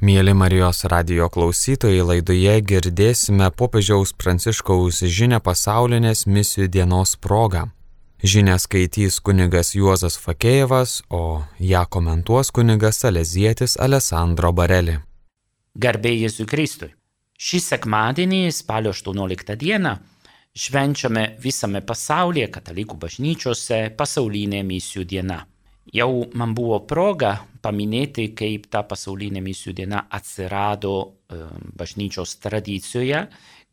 Mieli Marijos radijo klausytojai, laidoje girdėsime popiežiaus Pranciškaus žinią pasaulinės misijų dienos proga. Žinią skaitys kunigas Juozas Fakėjevas, o ją komentuos kunigas salezietis Alessandro Bareli. Garbė Jėzui Kristui. Šį sekmadienį, spalio 18 dieną, švenčiame visame pasaulyje katalikų bažnyčiose pasaulinė misijų diena. Jau man buvo proga paminėti, kaip ta pasaulinė misijų diena atsirado bažnyčios tradicijoje,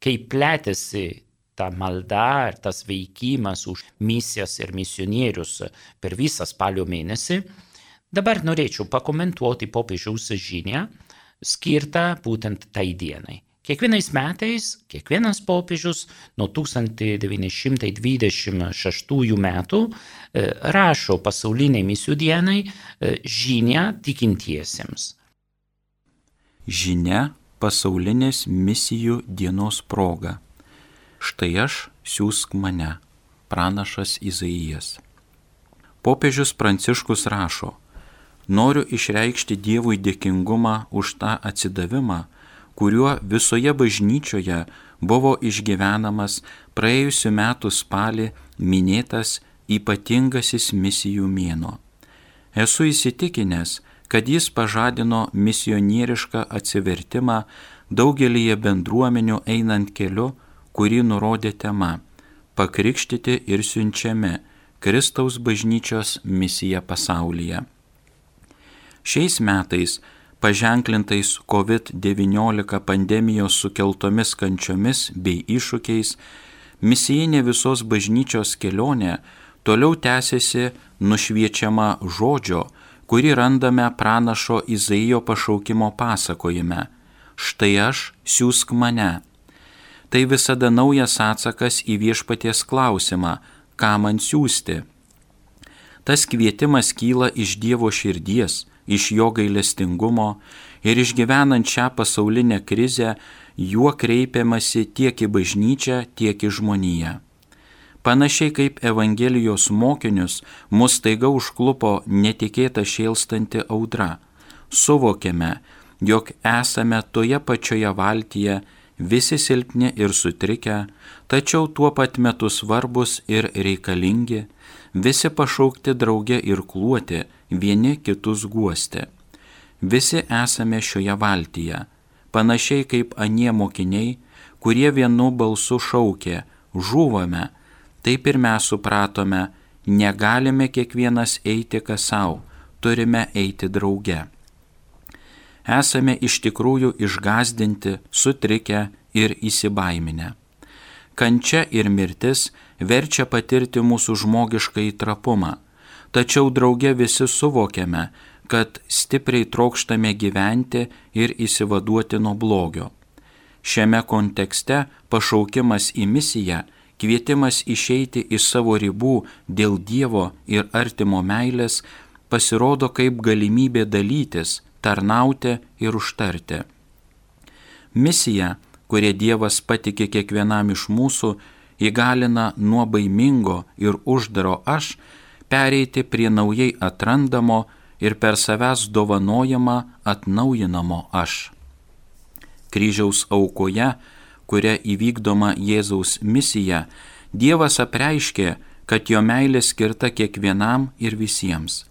kaip plėtėsi ta malda ir tas veikimas už misijas ir misionierius per visą spalio mėnesį. Dabar norėčiau pakomentuoti popiežiaus žinią skirtą būtent tai dienai. Kiekvienais metais, kiekvienas popiežius nuo 1926 metų rašo pasauliniai misijų dienai žinią tikintiesiems. Žinia pasaulinės misijų dienos proga. Štai aš, siųsk mane, pranašas Izaijas. Popiežius Pranciškus rašo: noriu išreikšti Dievui dėkingumą už tą atsidavimą, kuriuo visoje bažnyčioje buvo išgyvenamas praėjusių metų spalį minėtas ypatingasis misijų mėnuo. Esu įsitikinęs, kad jis pažadino misionierišką atsivertimą daugelyje bendruomenių einant keliu, kurį nurodė tema – pakrikštyti ir siunčiami Kristaus bažnyčios misija pasaulyje. Šiais metais, paženklintais COVID-19 pandemijos sukeltomis kančiomis bei iššūkiais, misijinė visos bažnyčios kelionė toliau tęsiasi nušviečiama žodžio, kurį randame pranašo Izaijo pašaukimo pasakojime: štai aš, siųsk mane. Tai visada naujas atsakas į viešpaties klausimą: ką man siųsti? Tas kvietimas kyla iš Dievo širdies, iš jo gailestingumo, ir išgyvenant šią pasaulinę krizę, juo kreipiamasi tiek į bažnyčią, tiek į žmoniją. Panašiai kaip Evangelijos mokinius, mus staiga užklupo netikėta šėlstanti audra. Suvokėme, jog esame toje pačioje valtyje, visi silpni ir sutrikę, tačiau tuo pat metu svarbus ir reikalingi, visi pašaukti drauge ir kluoti, vieni kitus guosti. Visi esame šioje valtyje, panašiai kaip anie mokiniai, kurie vienu balsu šaukė: žūvame. Taip ir mes supratome, negalime kiekvienas eiti kas sau, turime eiti drauge. Esame iš tikrųjų išgąsdinti, sutrikę ir įsibaiminę. Kančia ir mirtis verčia patirti mūsų žmogiškąjį trapumą, tačiau drauge visi suvokiame, kad stipriai trokštame gyventi ir išsivaduoti nuo blogio. Šiame kontekste pašaukimas į misiją, kvietimas išeiti iš savo ribų dėl Dievo ir artimo meilės pasirodo kaip galimybė dalytis, tarnauti ir užtarti. Misija, kurią Dievas patikė kiekvienam iš mūsų, įgalina nuo baimingo ir uždaro aš pereiti prie naujai atrandamo ir per savęs dovanojamą atnaujinamo aš. Kryžiaus aukoje, kuria įvykdoma Jėzaus misija, Dievas apreiškė, kad jo meilė skirta kiekvienam ir visiems.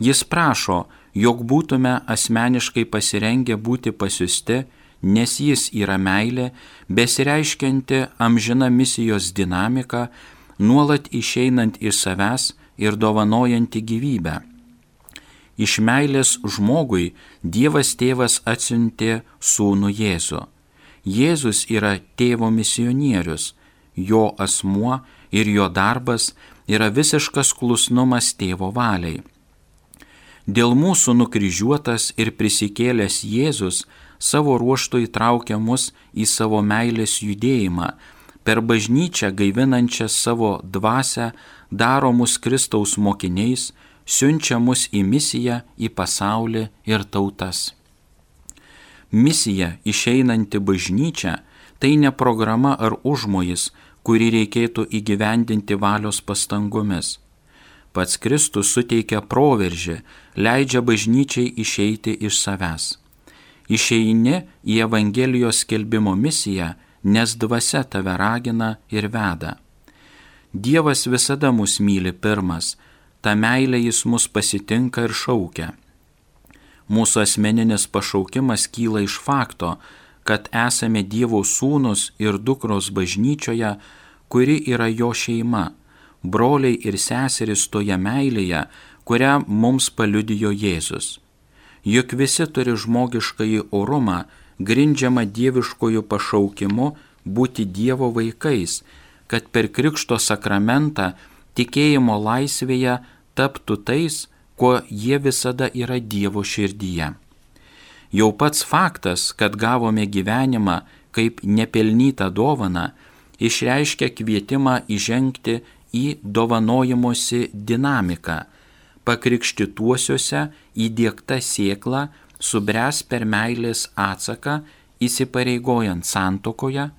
Jis prašo, jog būtume asmeniškai pasirengę būti pasiųsti, nes jis yra meilė, besireiškianti amžina misijos dinamika, nuolat išeinant iš savęs ir dovanojanti gyvybę. Iš meilės žmogui Dievas tėvas atsiuntė sūnų Jėzų. Jėzus yra tėvo misionierius, jo asmuo ir jo darbas yra visiškas klusnumas tėvo valiai. Dėl mūsų nukryžiuotas ir prisikėlęs Jėzus savo ruožtu įtraukia mus į savo meilės judėjimą, per bažnyčią gaivinančią savo dvasią daro mus Kristaus mokiniais, siunčia mus į misiją, į pasaulį ir tautas. Misija išeinanti bažnyčia tai ne programa ar užmojis, kurį reikėtų įgyvendinti valios pastangomis. Pats Kristus suteikia proveržį, leidžia bažnyčiai išeiti iš savęs. Išeini į Evangelijos skelbimo misiją, nes dvasia tave ragina ir veda. Dievas visada mus myli pirmas, ta meilė jis mus pasitinka ir šaukia. Mūsų asmeninis pašaukimas kyla iš fakto, kad esame Dievo sūnus ir dukros bažnyčioje, kuri yra jo šeima, broliai ir seserys toje meilėje, kurią mums paliudijo Jėzus. Juk visi turi žmogiškąjį orumą, grindžiamą dieviškojų pašaukimu būti Dievo vaikais, kad per Krikšto sakramentą tikėjimo laisvėje taptų tais, kuo jie visada yra Dievo širdyje. Jau pats faktas, kad gavome gyvenimą kaip nepelnytą dovaną, išreiškia kvietimą įžengti į dovanojimosi dinamiką. Pakrikštytuosiuose įdiegta sėkla subręs per meilės atsaką, įsipareigojant santuokoje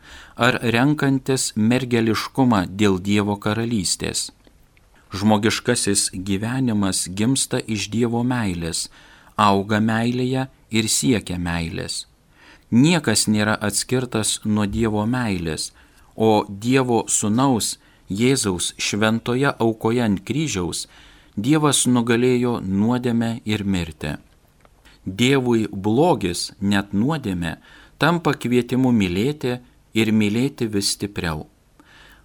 ar renkantis mergeliškumą dėl Dievo karalystės. Žmogiškasis gyvenimas gimsta iš Dievo meilės, auga meilėje ir siekia meilės. Niekas nėra atskirtas nuo Dievo meilės, o Dievo sūnaus Jėzaus šventoje aukoje ant kryžiaus Dievas nugalėjo nuodėmę ir mirtį. Dievui blogis, net nuodėmė, tampa kvietimu mylėti ir mylėti vis stipriau.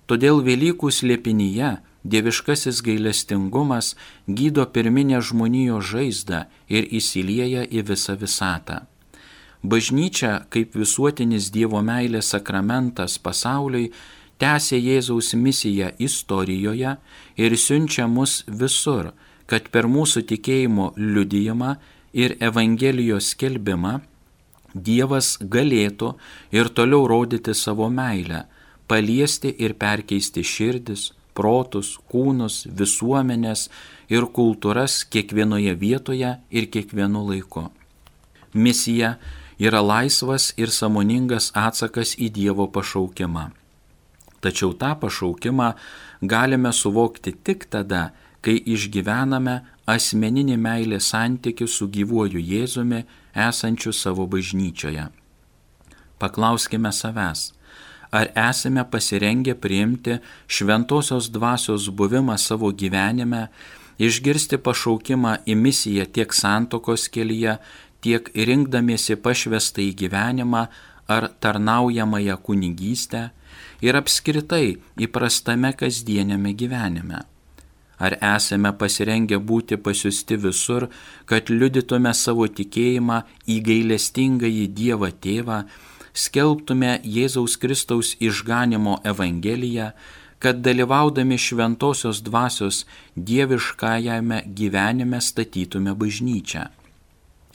Todėl Velykų slėpinyje dieviškasis gailestingumas gydo pirminę žmonijos žaizdą ir įsilieja į visą visatą. Bažnyčia, kaip visuotinis Dievo meilės sakramentas pasauliui, tęsia Jėzaus misiją istorijoje ir siunčia mus visur, kad per mūsų tikėjimo liudijimą ir Evangelijos skelbimą Dievas galėtų ir toliau rodyti savo meilę, paliesti ir perkeisti širdis, protus, kūnus, visuomenės ir kultūras kiekvienoje vietoje ir kiekvienu laiku. Misija yra laisvas ir sąmoningas atsakas į Dievo pašaukimą. Tačiau tą pašaukimą galime suvokti tik tada, kai išgyvename asmeninį meilės santykį su gyvuoju Jėzumi esančiu savo bažnyčioje. Paklauskime savęs, ar esame pasirengę priimti šventosios dvasios buvimą savo gyvenime, išgirsti pašaukimą į misiją tiek santuokos kelyje, tiek rinkdamiesi pašvestą į gyvenimą ar tarnaujamąją kunigystę ir apskritai įprastame kasdieniame gyvenime. Ar esame pasirengę būti pasiųsti visur, kad liudytume savo tikėjimą į gailestingąjį Dievą Tėvą, skelbtume Jėzaus Kristaus išganimo Evangeliją, kad dalyvaudami šventosios dvasios dieviškajame gyvenime statytume bažnyčią.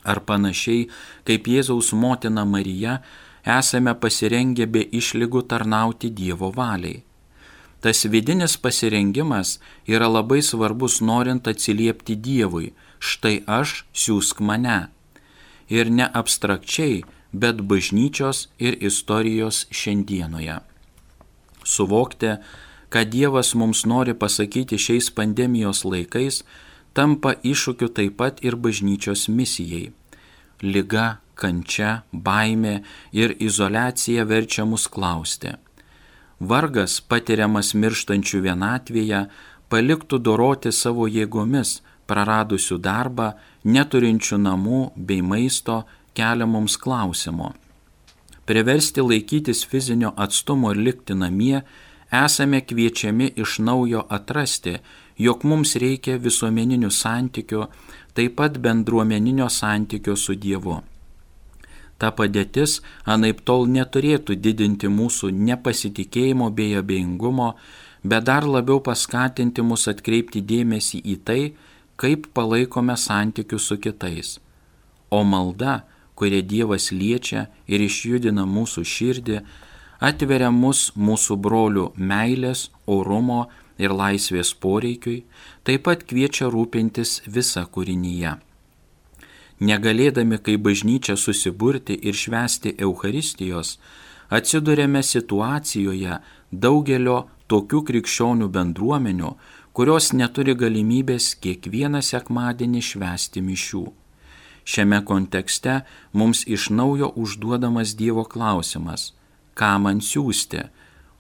Ar panašiai kaip Jėzaus motina Marija, esame pasirengę be išlygų tarnauti Dievo valiai. Tas vidinis pasirengimas yra labai svarbus norint atsiliepti Dievui, štai aš, siųsk mane. Ir ne abstrakčiai, bet bažnyčios ir istorijos šiandienoje. Suvokti, ką Dievas mums nori pasakyti šiais pandemijos laikais, tampa iššūkiu taip pat ir bažnyčios misijai. Liga, kančia, baimė ir izoliacija verčia mus klausti. Vargas, patiriamas mirštančių vienatvėje, paliktų doroti savo jėgomis, praradusių darbą, neturinčių namų bei maisto, kelia mums klausimo. Priversti laikytis fizinio atstumo ir likti namie, esame kviečiami iš naujo atrasti, jog mums reikia visuomeninių santykių, taip pat bendruomeninio santykio su Dievu. Ta padėtis anaiptol neturėtų didinti mūsų nepasitikėjimo bei abejingumo, bet dar labiau paskatinti mus atkreipti dėmesį į tai, kaip palaikome santykius su kitais. O malda, kuria Dievas liečia ir išjudina mūsų širdį, atveria mus mūsų brolių meilės, orumo ir laisvės poreikiui, taip pat kviečia rūpintis visą kūrinyje. Negalėdami kaip bažnyčia susiburti ir švęsti Eucharistijos, atsiduriame situacijoje daugelio tokių krikščionių bendruomenių, kurios neturi galimybės kiekvieną sekmadienį švęsti mišių. Šiame kontekste mums iš naujo užduodamas Dievo klausimas, ką man siųsti,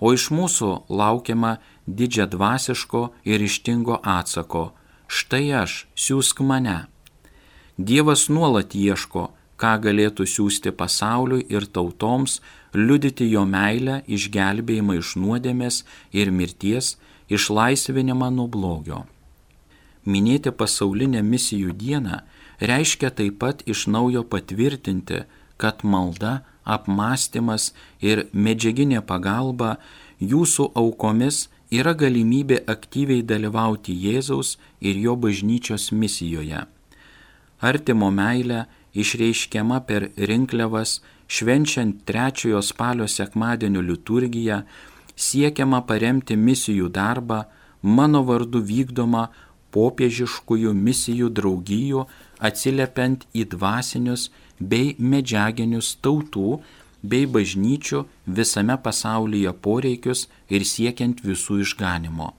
o iš mūsų laukiama didžiadvasiško ir ryžtingo atsako, štai aš, siųsk mane. Dievas nuolat ieško, ką galėtų siųsti pasauliui ir tautoms, liudyti jo meilę, išgelbėjimą iš nuodėmės ir mirties, išlaisvinimą nuo blogio. Minėti pasaulinę misijų dieną reiškia taip pat iš naujo patvirtinti, kad malda, apmąstymas ir medžiaginė pagalba jūsų aukomis yra galimybė aktyviai dalyvauti Jėzaus ir jo bažnyčios misijoje. Artimo meilė išreiškiama per rinkliavas, švenčiant 3 spalio sekmadienio liturgiją, siekiama paremti misijų darbą, mano vardu vykdomą popiežiškųjų misijų draugijų, atsiliepiant į dvasinius bei medžiaginius tautų bei bažnyčių visame pasaulyje poreikius ir siekiant visų išganimo.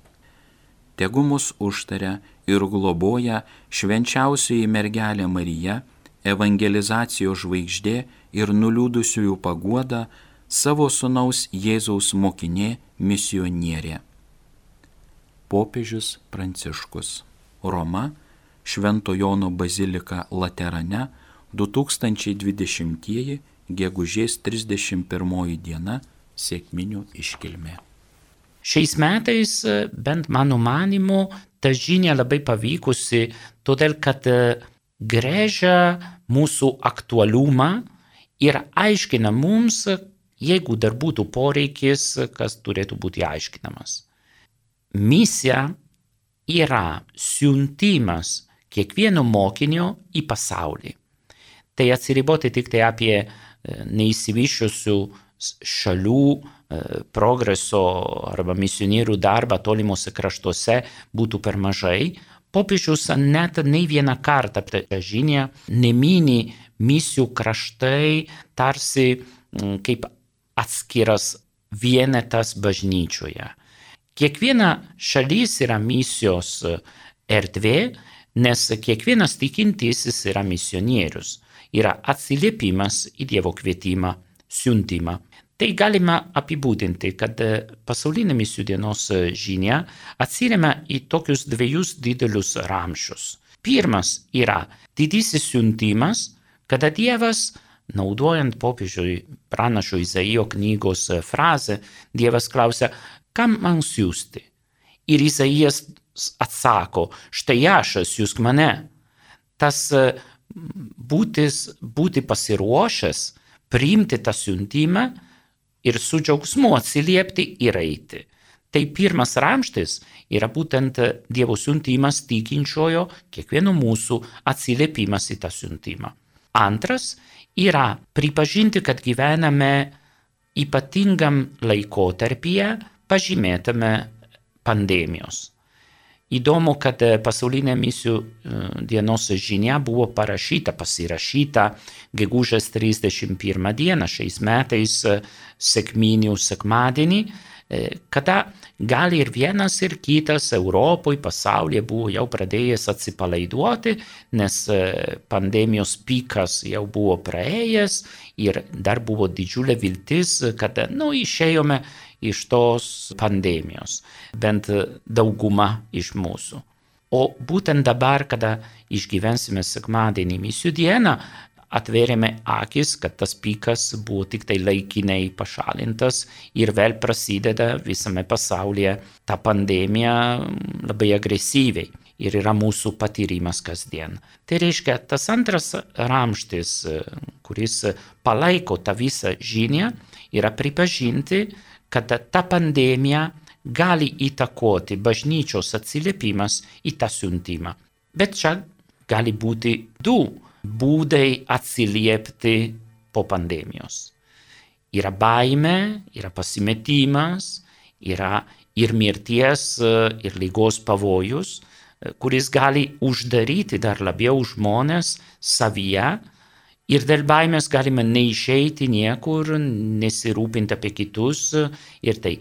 Tegu mus užtaria ir globoja švenčiausioji mergelė Marija, evangelizacijos žvaigždė ir nuliūdusiųjų paguoda, savo sūnaus Jėzaus mokinė misionierė. Popiežius Pranciškus. Roma, Švento Jono bazilika Laterane, 2020 gegužės 31 diena, sekminių iškilmė. Šiais metais, bent mano manimu, ta žinia labai pavykusi, todėl kad grėžia mūsų aktualumą ir aiškina mums, jeigu dar būtų poreikis, kas turėtų būti aiškinamas. Misija yra siuntimas kiekvieno mokinio į pasaulį. Tai atsiriboti tik tai apie neišsivysčiusių šalių progreso arba misionierių darbą tolimuose kraštuose būtų per mažai. Popiežius net nei vieną kartą per žinią nemini misijų kraštai tarsi kaip atskiras vienetas bažnyčioje. Kiekviena šalis yra misijos erdvė, nes kiekvienas tikintysis yra misionierius, yra atsiliepimas į Dievo kvietimą, siuntimą. Tai galima apibūdinti, kad pasaulinė misijų dienos žinia atsiremia į tokius 2 didelius ramsčius. Pirmas yra didysis siuntimas, kada Dievas, naudojant popiežiui pranašo Izaijo knygos frazę, Dievas klausia, kam man siųsti? Ir Izaijas atsako, štai aš, siųsk mane. Tas būti pasiruošęs, priimti tą siuntimą ir su džiaugsmu atsiliepti ir eiti. Tai pirmas ramstis yra būtent Dievo siuntimas tikinčiojo, kiekvieno mūsų atsiliepimas į tą siuntimą. Antras yra pripažinti, kad gyvename ypatingam laikotarpyje, pažymėtame pandemijos. Įdomu, kad pasaulinė misijų dienos žinia buvo pasirašyta gegužės 31 dieną šiais metais sekminių sekmadienį, kada gal ir vienas ir kitas Europoje, pasaulyje buvo jau pradėjęs atsipalaiduoti, nes pandemijos pikas jau buvo praėjęs ir dar buvo didžiulė viltis, kad išėjome iš tos pandemijos, bent dauguma iš mūsų. O būtent dabar, kada išgyvensime sekmadienį misijų dieną, atvėrėme akis, kad tas pikas buvo tik tai laikinai pašalintas ir vėl prasideda visame pasaulyje ta pandemija labai agresyviai ir yra mūsų patyrimas kasdien. Tai reiškia, tas antras ramstis, kuris palaiko tą visą žinią, yra pripažinti, kad ta pandemija gali įtakoti bažnyčios atsiliepimas į tą siuntimą. Bet čia gali būti 2 būdai atsiliepti po pandemijos. Yra baimė, yra pasimetimas, yra ir mirties, ir ligos pavojus, kuris gali uždaryti dar labiau žmonės savyje. Ir dėl baimės galime neišeiti niekur, nesirūpinti apie kitus ir tai.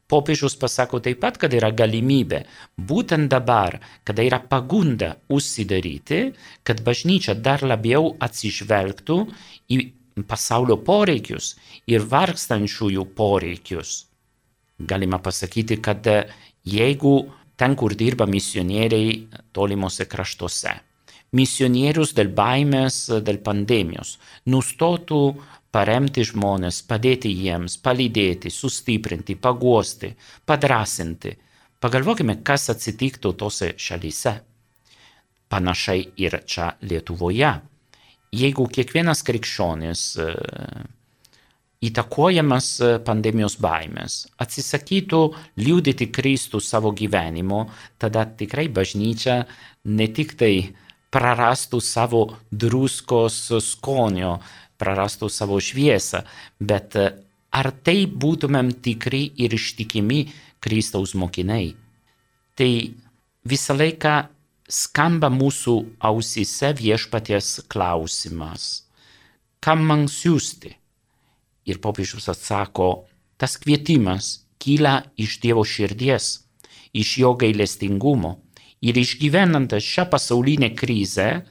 Popiežius pasako taip pat, kad yra galimybė būtent dabar, kada yra pagunda užsidaryti, kad bažnyčia dar labiau atsižvelgtų į pasaulio poreikius ir vargstančiųjų poreikius. Galima pasakyti, kad jeigu ten, kur dirba misionieriai tolimuose kraštuose, misionierius dėl baimės, dėl pandemijos, nustotų paremti žmonės, padėti jiems, palydėti, sustiprinti, paguosti, padrasinti. Pagalvokime, kas atsitiktų tose šalyse. Panašiai ir čia Lietuvoje. Jeigu kiekvienas krikščionis įtakojamas pandemijos baimės atsisakytų liudyti Kristų savo gyvenimo, tada tikrai bažnyčia ne tik tai prarastų savo druskos skonio, prarastų savo šviesą, bet ar tai būtumėm tikri ir ištikimi Kristaus mokiniai? Tai visą laiką skamba mūsų ausyse viešpaties klausimas. Kam man siųsti? Ir popiežius atsako, tas kvietimas kyla iš Dievo širdies, iš jo gailestingumo. Ir išgyvenant šią pasaulinę krizę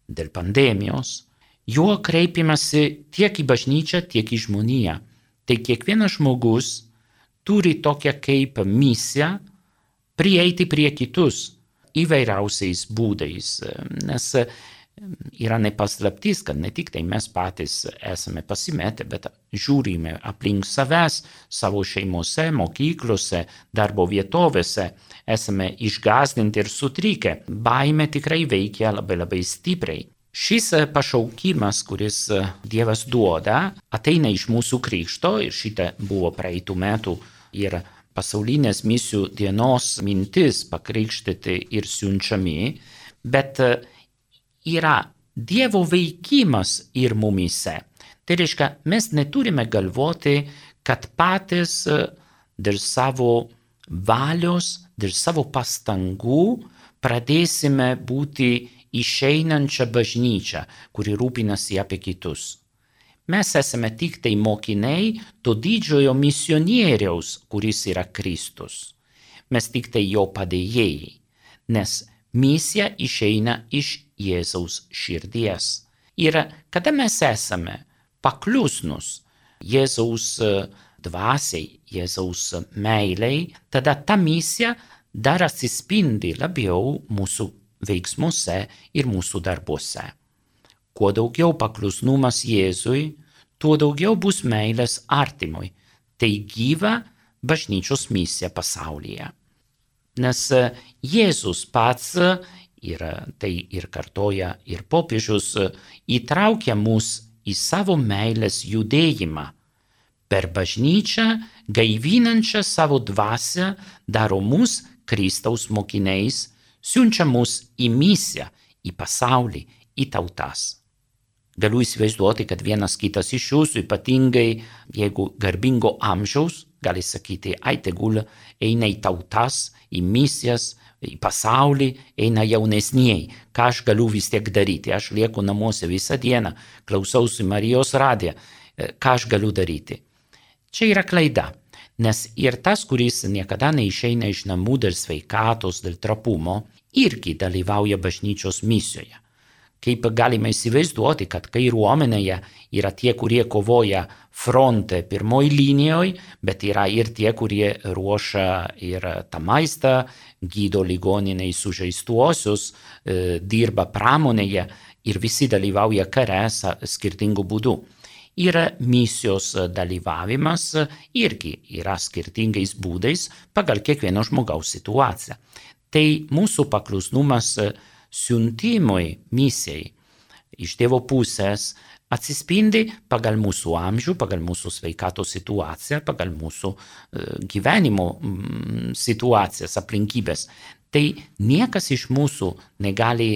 dėl pandemijos, juo kreipiamasi tiek į bažnyčią, tiek į žmoniją. Tai kiekvienas žmogus turi tokią kaip misiją prieiti prie kitus įvairiausiais būdais, nes yra nepaslaptis, kad ne tik tai mes patys esame pasimetę, bet žiūrime aplink savęs, savo šeimose, mokyklose, darbo vietovėse, esame išgąsdinti ir sutrikę. Baimė tikrai veikia labai stipriai. Šis pašaukimas, kuris Dievas duoda, ateina iš mūsų krikšto ir šitą buvo praeitų metų ir pasaulinės misijų dienos mintis pakrikštyti ir siunčiami, bet yra Dievo veikimas ir mumise. Tai reiškia, mes neturime galvoti, kad patys dėl savo valios, dėl savo pastangų pradėsime būti išeinančią bažnyčią, kuri rūpinasi apie kitus. Mes esame tik tai mokiniai to didžiojo misionieriaus, kuris yra Kristus. Mes tik tai jo padėjėjai, nes misija išeina iš Jėzaus širdies. Ir kada mes esame paklusnus Jėzaus dvasiai, Jėzaus meiliai, tada ta misija dar atsispindi labiau mūsų veiksmuose ir mūsų darbuose. Kuo daugiau paklusnumas Jėzui, tuo daugiau bus meilės artimui. Tai gyva bažnyčios misija pasaulyje. Nes Jėzus pats, ir tai ir kartoja ir popiežius, įtraukia mus į savo meilės judėjimą. Per bažnyčią, gaivinančią savo dvasią, daro mus Kristaus mokiniais, siunčia mus į misiją, į pasaulį, į tautas. Galiu įsivaizduoti, kad vienas kitas iš jūsų, ypatingai jeigu garbingo amžiaus, gali sakyti, tegul eina į tautas, į misijas, į pasaulį, eina jaunesnieji. Ką aš galiu vis tiek daryti? Aš lieku namuose visą dieną, klausausi Marijos radiją. Ką aš galiu daryti? Čia yra klaida. Nes ir tas, kuris niekada neišeina iš namų dėl sveikatos, dėl trapumo, irgi dalyvauja bažnyčios misijoje. Kaip galime įsivaizduoti, kad kariuomenėje yra tie, kurie kovoja fronte pirmoj linijoje, bet yra ir tie, kurie ruošia ir tą maistą, gydo ligoniniai sužeistuosius, dirba pramonėje ir visi dalyvauja kare skirtingų būdų. Ir misijos dalyvavimas irgi yra skirtingais būdais pagal kiekvieno žmogaus situaciją. Tai mūsų paklusnumas siuntimui misijai iš Dievo pusės atsispindi pagal mūsų amžių, pagal mūsų sveikatos situaciją, pagal mūsų gyvenimo situacijas, aplinkybės. Tai niekas iš mūsų negali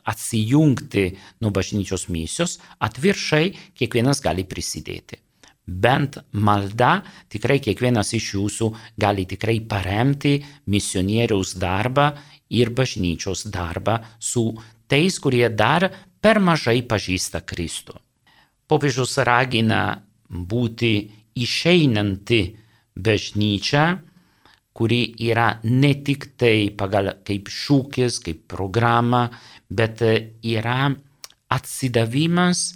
atsijungti nuo bažnyčios misijos, atvirkščiai kiekvienas gali prisidėti. Bent malda tikrai kiekvienas iš jūsų gali tikrai paremti misionieriaus darbą ir bažnyčios darbą su tais, kurie dar per mažai pažįsta Kristų. Popiežius ragina būti išeinanti bažnyčia, kuri yra ne tik tai pagal kaip šūkis, kaip programa, bet yra atsidavimas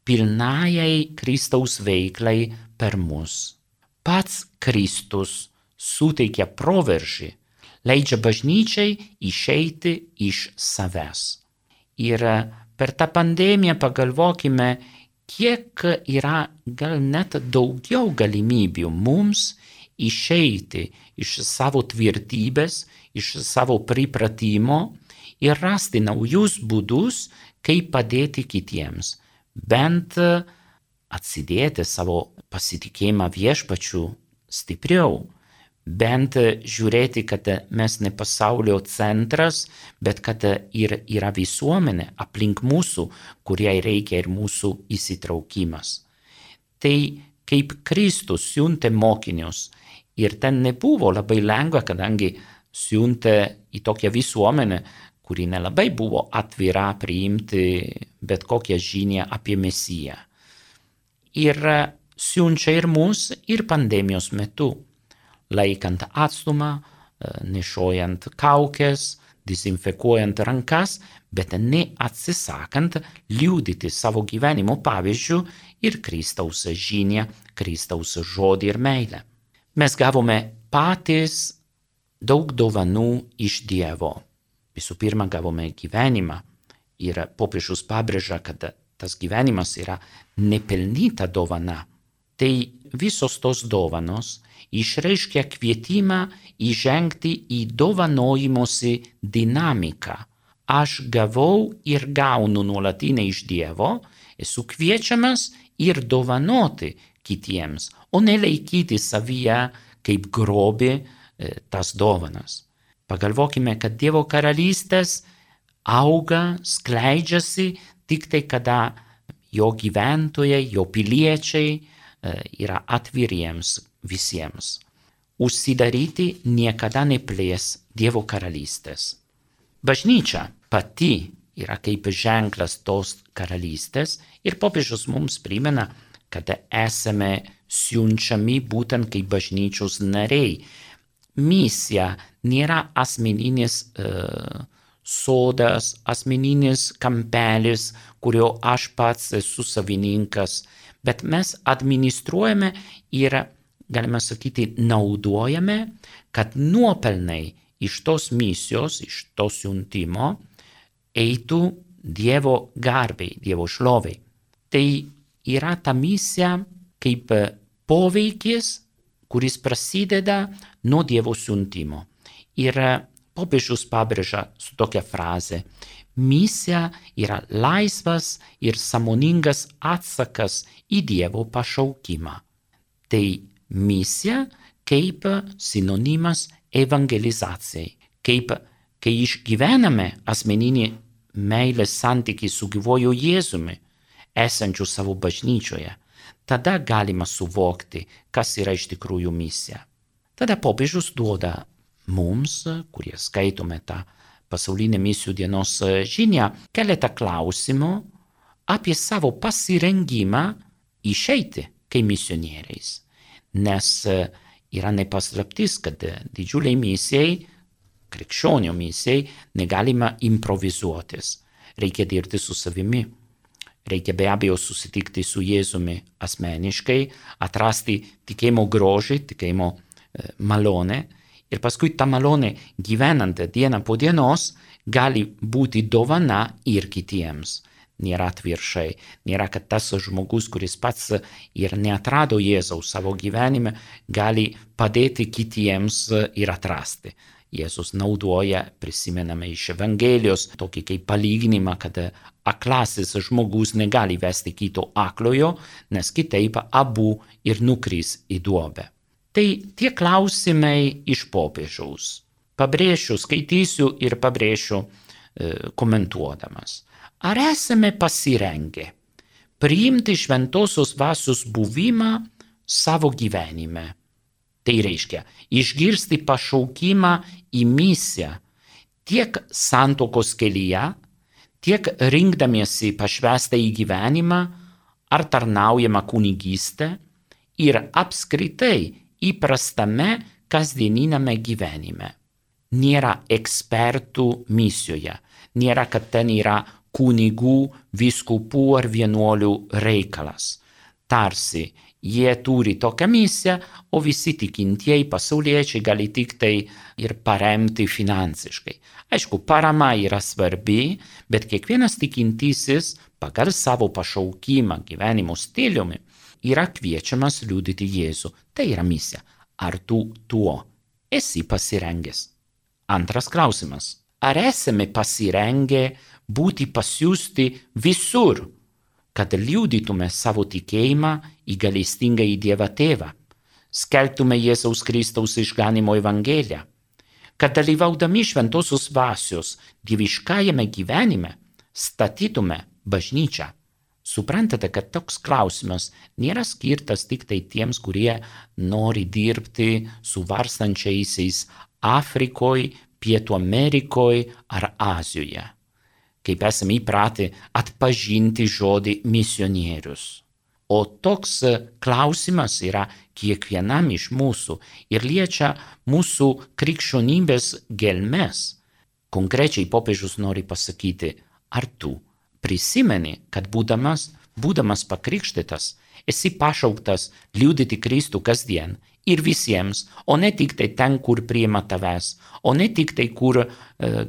pilnajai Kristaus veiklai per mus. Pats Kristus suteikia proveržį, leidžia bažnyčiai išeiti iš savęs. Ir per tą pandemiją pagalvokime, kiek yra gal net daugiau galimybių mums išeiti iš savo tvirtybės, iš savo pripratimo ir rasti naujus būdus, kaip padėti kitiems. Bent atsidėti savo pasitikėjimą viešpačiu stipriau. Bent žiūrėti, kad mes ne pasaulio centras, bet kad ir yra visuomenė aplink mūsų, kuriai reikia ir mūsų įsitraukimas. Tai kaip Kristus siuntė mokinius, ir ten nebuvo labai lengva, kadangi siuntė į tokią visuomenę, kuri nelabai buvo atvira priimti bet kokią žinią apie Mesiją. Ir siunčia ir mus, ir pandemijos metu, laikant atstumą, nešiojant kaukes, dezinfekuojant rankas, bet neatsisakant liudyti savo gyvenimo pavyzdžių ir Kristaus žinią, Kristaus žodį ir meilę. Mes gavome patys daug dovanų iš Dievo. Visų pirma, gavome gyvenimą ir popiežius pabrėžia, kad tas gyvenimas yra nepelnyta dovana. Tai visos tos dovanos išreiškia kvietimą įžengti į dovanojimosi dinamiką. Aš gavau ir gaunu nuolatinę iš Dievo, esu kviečiamas ir dovanoti kitiems, o ne laikyti savyje kaip grobį tas dovanas. Pagalvokime, kad Dievo karalystės auga, skleidžiasi tik tai, kada jo gyventojai, jo piliečiai yra atviriems visiems. Užsidaryti niekada neplės Dievo karalystės. Bažnyčia pati yra kaip ženklas tos karalystės ir popiežius mums primena, kad esame siunčiami būtent kaip bažnyčios nariai. Misija nėra asmeninis sodas, asmeninis kampelis, kurio aš pats esu savininkas, bet mes administruojame ir, galime sakyti, naudojame, kad nuopelnai iš tos misijos, iš to siuntimo eitų Dievo garbei, Dievo šlovei. Tai yra ta misija kaip poveikis, kuris prasideda nuo Dievo siuntimo. Ir popiežius pabrėžia su tokia fraze: misija yra laisvas ir sąmoningas atsakas į Dievo pašaukimą. Tai misija kaip sinonimas evangelizacijai. Kaip kai išgyvename asmeninį meilės santykį su gyvuoju Jėzumi, esančiu savo bažnyčioje, tada galima suvokti, kas yra iš tikrųjų misija. Tada popiežius duoda mums, kurie skaitome tą pasaulinę misijų dienos žinią, keletą klausimų apie savo pasirengimą išeiti kaip misionieriais. Nes yra nepaslaptis, kad didžiuliai misijai, krikščionių misijai, negalima improvizuotis. Reikia dirbti su savimi. Reikia be abejo susitikti su Jėzumi asmeniškai, atrasti tikėjimo grožį, tikėjimo malonę ir paskui ta malonė gyvenant dieną po dienos gali būti dovana ir kitiems. Nėra atvirkščiai, nėra, kad tas žmogus, kuris pats ir neatrado Jėzaus savo gyvenime, gali padėti kitiems ir atrasti. Jėzus naudoja, prisimename iš Evangelijos, tokį kaip palyginimą, kad aklasis žmogus negali vesti kito aklojo, nes kitaip abu ir nukris į duobę. Tai tie klausimai iš popiežiaus. Pabrėšiu, skaitysiu ir pabrėšiu komentuodamas. Ar esame pasirengę priimti šventosios dvasios buvimą savo gyvenime? Tai reiškia išgirsti pašaukimą į misiją tiek santuokos kelyje, tiek rinkdamiesi pašvęstą į gyvenimą ar tarnaujamą kunigystę ir apskritai įprastame kasdieniname gyvenime. Nėra ekspertų misijoje, nėra, kad ten yra kunigų, vyskupų ar vienuolių reikalas. Tarsi jie turi tokią misiją, o visi tikintieji pasauliečiai gali tik tai ir paremti finansiškai. Aišku, parama yra svarbi, bet kiekvienas tikintysis pagal savo pašaukimą gyvenimo stiliumi yra kviečiamas liudyti Jėzų. Tai yra misija. Ar tu tuo esi pasirengęs? Antras klausimas. Ar esame pasirengę būti pasiųsti visur, kad liudytume savo tikėjimą į gailestingąjį Dievą Tėvą, skelbtume Jėzaus Kristaus išganymo evangeliją, kad dalyvaudami šventosios dvasios dieviškajame gyvenime statytume bažnyčią? Suprantate, kad toks klausimas nėra skirtas tik tai tiems, kurie nori dirbti su varstančiaisiais Afrikoje, Pietų Amerikoje ar Azijoje. Kaip esame įpratę atpažinti žodį misionierius. O toks klausimas yra kiekvienam iš mūsų ir liečia mūsų krikščionybės gelmes. Konkrečiai popiežius nori pasakyti, ar tu prisimeni, kad būdamas pakrikštytas, esi pašauktas liudyti Kristų kasdien ir visiems, o ne tik tai ten, kur priima tavęs, o ne tik tai, kur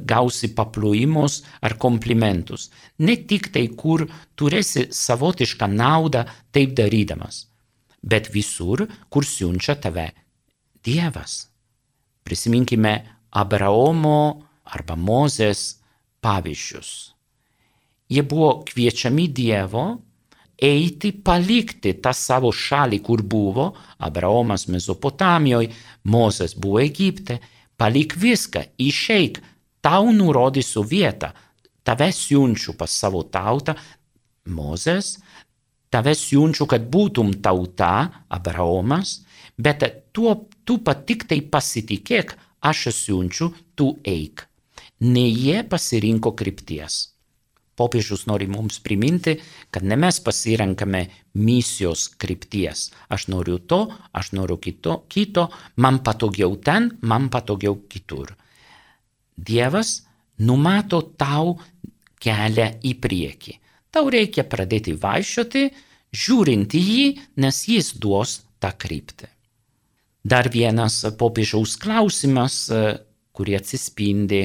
gausi paplojimus ar komplimentus, ne tik tai, kur turėsi savotišką naudą taip darydamas, bet visur, kur siunčia tave Dievas. Prisiminkime Abraomo arba Mozės pavyzdžius. Jie buvo kviečiami Dievo eiti, palikti tą savo šalį, kur buvo, Abraomas Mesopotamijoje, Mozės buvo Egipte, palik viską, išeik, tau nurodysiu vietą, tave siunčiu pas savo tautą, Mozės, tave siunčiu, kad būtum tauta, Abraomas, bet tu tik tai pasitikėk, aš siunčiu, tu eik. Ne jie pasirinko krypties. Popiežius nori mums priminti, kad ne mes pasirenkame misijos krypties. Aš noriu to, aš noriu kito, man patogiau ten, man patogiau kitur. Dievas numato tau kelią į priekį. Tau reikia pradėti vaikščioti, žiūrint į jį, nes jis duos tą kryptį. Dar vienas popiežiaus klausimas, kurį atsispindi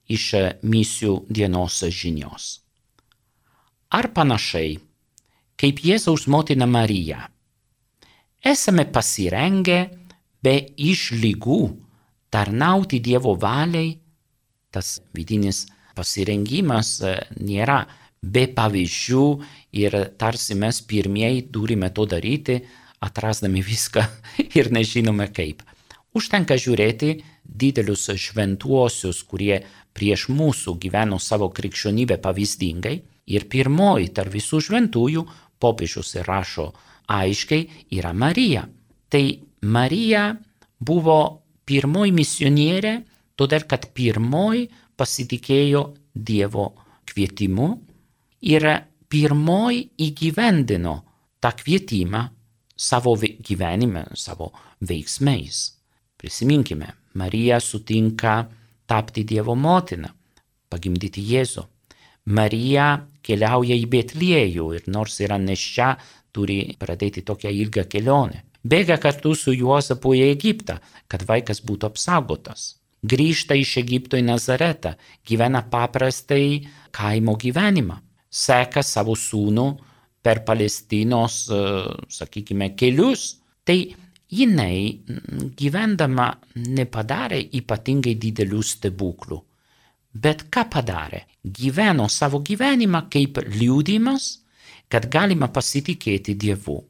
iš misijų dienos žinios. Ar panašiai, kaip Jėzaus motina Marija, esame pasirengę be išlygų tarnauti Dievo valiai? Tas vidinis pasirengimas nėra be pavyzdžių ir tarsi mes pirmieji turime to daryti, atrasdami viską ir nežinome kaip. Užtenka žiūrėti didelius šventuosius, kurie prieš mūsų gyveno savo krikščionybę pavyzdingai. Ir pirmoji tarp visų šventųjų, popiežius rašo aiškiai, yra Marija. Tai Marija buvo pirmoji misionierė, todėl kad pirmoji pasitikėjo Dievo kvietimu ir pirmoji įgyvendino tą kvietimą savo gyvenime, savo veiksmais. Prisiminkime, Marija sutinka tapti Dievo motina, pagimdyti Jėzų. Marija keliauja į Betliejų ir nors yra nėščia, turi pradėti tokią ilgą kelionę. Bėga kartu su Juozapu į Egiptą, kad vaikas būtų apsaugotas. Grįžta iš Egipto į Nazaretą, gyvena paprastai kaimo gyvenimą. Seka savo sūnų per Palestinos, sakykime, kelius. Tai jinai gyvendama nepadarė ypatingai didelių stebuklų. Bet ką padarė? Gyveno savo gyvenimą kaip liudijimas, kad galima pasitikėti Dievu.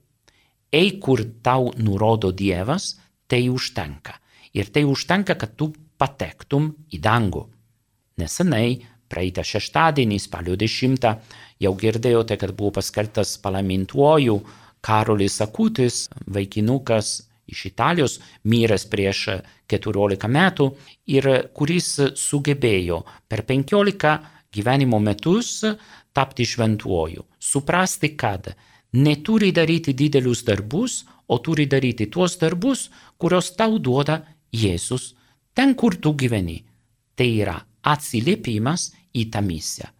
Eik, kur tau nurodo Dievas, tai užtenka. Ir tai užtenka, kad tu patektum į dangų. Nesenai, praeitą šeštadienį, spalio 10, jau girdėjote, kad buvo paskelbtas palaimintuoju Karolis Akutis, vaikinukas iš Italijos, miręs prieš 14 metų ir kuris sugebėjo per 15 gyvenimo metus tapti šventuoju. Suprasti, kad neturi daryti didelius darbus, o turi daryti tuos darbus, kurios tau duoda Jėzus ten, kur tu gyveni. Tai yra atsiliepimas į tą misiją.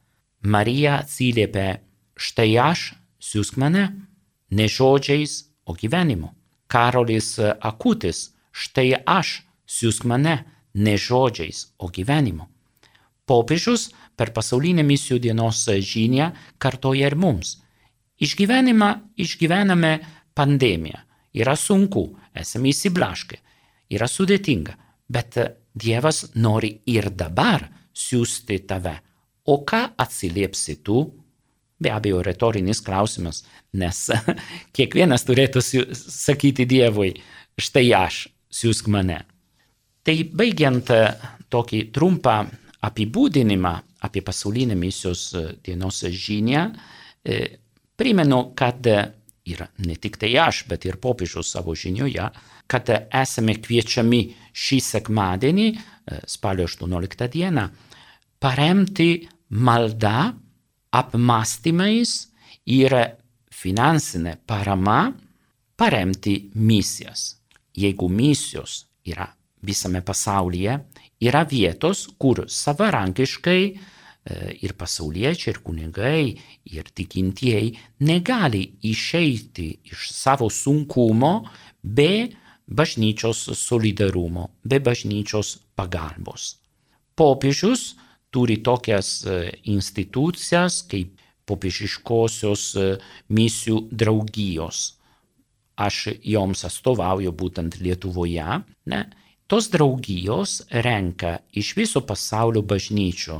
Marija atsiliepė, štai aš, siųsk mane, ne žodžiais, o gyvenimu. Karolis Akutis, štai aš, siųsk mane, ne žodžiais, o gyvenimu. Popiežius per pasaulinę misijų dienos žinią kartoja ir mums. Išgyvename pandemiją. Yra sunku, esame įsiblaškę, yra sudėtinga, bet Dievas nori ir dabar siųsti tave. O ką atsiliepsi tu? Be abejo, retorinis klausimas, nes kiekvienas turėtų sakyti Dievui, štai aš, siųsk mane. Tai baigiant tokį trumpą apibūdinimą apie pasaulinę misijos dienos žinią, primenu, kad ir ne tik tai aš, bet ir popiežius savo žinioje, kad esame kviečiami šį sekmadienį, spalio 18 dieną, paremti maldą, apmąstymais ir finansinė parama paremti misijas. Jeigu misijos yra visame pasaulyje, yra vietos, kur savarankiškai ir pasauliečiai, ir kunigai, ir tikintieji negali išeiti iš savo sunkumo be bažnyčios solidarumo, be bažnyčios pagalbos. Popiežius turi tokias institucijas kaip popiežiškosios misijų draugijos. Aš joms atstovauju būtent Lietuvoje. Tos draugijos renka iš viso pasaulio bažnyčių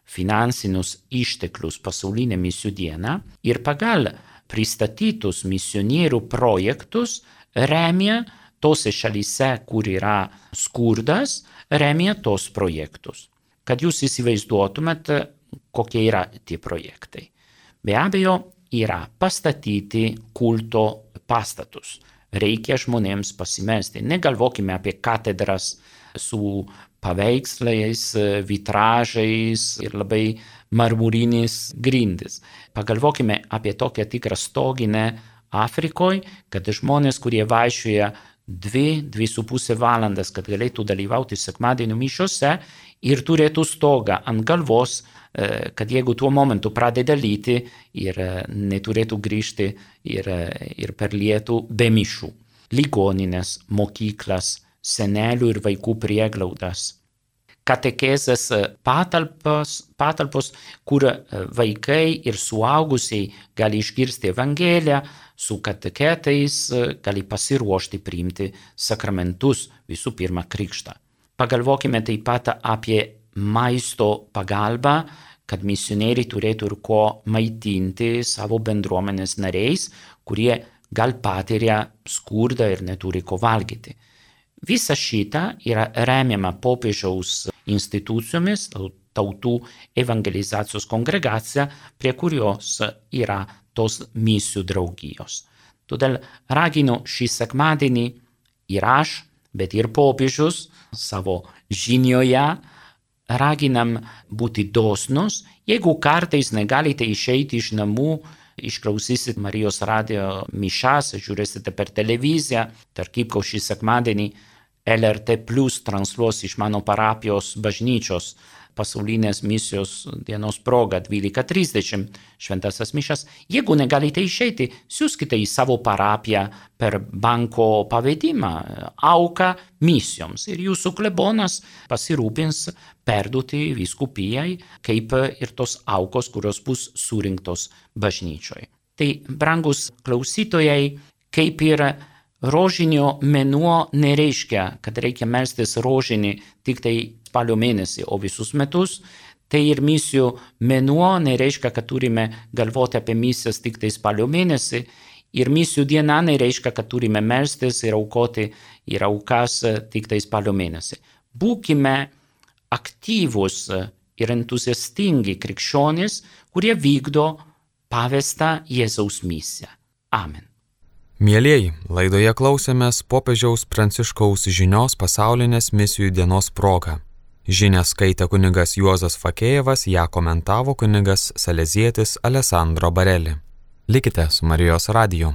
finansinius išteklius pasaulinę misijų dieną ir pagal pristatytus misionierių projektus remia tose šalyse, kur yra skurdas, remia tos projektus. Kad jūs įsivaizduotumėt, kokie yra tie projektai. Be abejo, yra pastatyti kulto pastatus. Reikia žmonėms pasimelsti. Negalvokime apie katedras su paveikslais, vitražais ir labai marmurinis grindis. Pagalvokime apie tokią tikrą stoginę Afrikoje, kad žmonės, kurie vaikščioja 2–2,5 valandas, kad galėtų dalyvauti sekmadienio mišiose ir turėtų stogą ant galvos, kad jeigu tuo momentu pradeda lyti ir neturėtų grįžti ir per lietų be mišių. Ligoninės, mokyklas, senelių ir vaikų prieglaudas. Katekezės patalpos, kur vaikai ir suaugusiai gali išgirsti Evangeliją, su kateketais gali pasiruošti priimti sakramentus, visų pirma krikštą. Pagalvokime taip pat apie maisto pagalbą, kad misionieriai turėtų ir ko maitinti savo bendruomenės nariais, kurie gal patiria skurdą ir neturi ko valgyti. Visa šita yra remiama popiežiaus institucijomis, tautų evangelizacijos kongregacija, prie kurios yra tos misijų draugijos. Todėl raginu šį sekmadienį ir aš, bet ir popiežius savo žinioje raginam būti dosnus. Jeigu kartais negalite išeiti iš namų, išklausysit Marijos radijo mišas, žiūrėsite per televiziją, tarp ko šį sekmadienį LRT Plus transliuos iš mano parapijos bažnyčios pasaulinės misijos dienos proga 12:30 šventasias mišas. Jeigu negalite išeiti, siųskite į savo parapiją per banko pavedimą auką misijoms ir jūsų klebonas pasirūpins perduoti vyskupijai, kaip ir tos aukos, kurios bus surinktos bažnyčioje. Tai, brangus klausytojai, kaip ir rožinio mėnuo nereiškia, kad reikia melstis rožinį tik tai spalio mėnesį, o visus metus, tai ir misijų mėnuo nereiškia, kad turime galvoti apie misijas tik tai spalio mėnesį, ir misijų diena nereiškia, kad turime melstis ir aukoti ir aukas tik tai spalio mėnesį. Būkime aktyvus ir entuziastingi krikščionys, kurie vykdo pavestą Jėzaus misiją. Amen. Mielieji, laidoje klausėmės popiežiaus Pranciškaus žinios pasaulinės misijų dienos proga. Žinią skaitė kunigas Juozas Fakėjevas, ją komentavo kunigas salezietis Alessandro Bareli. Likite su Marijos radiju.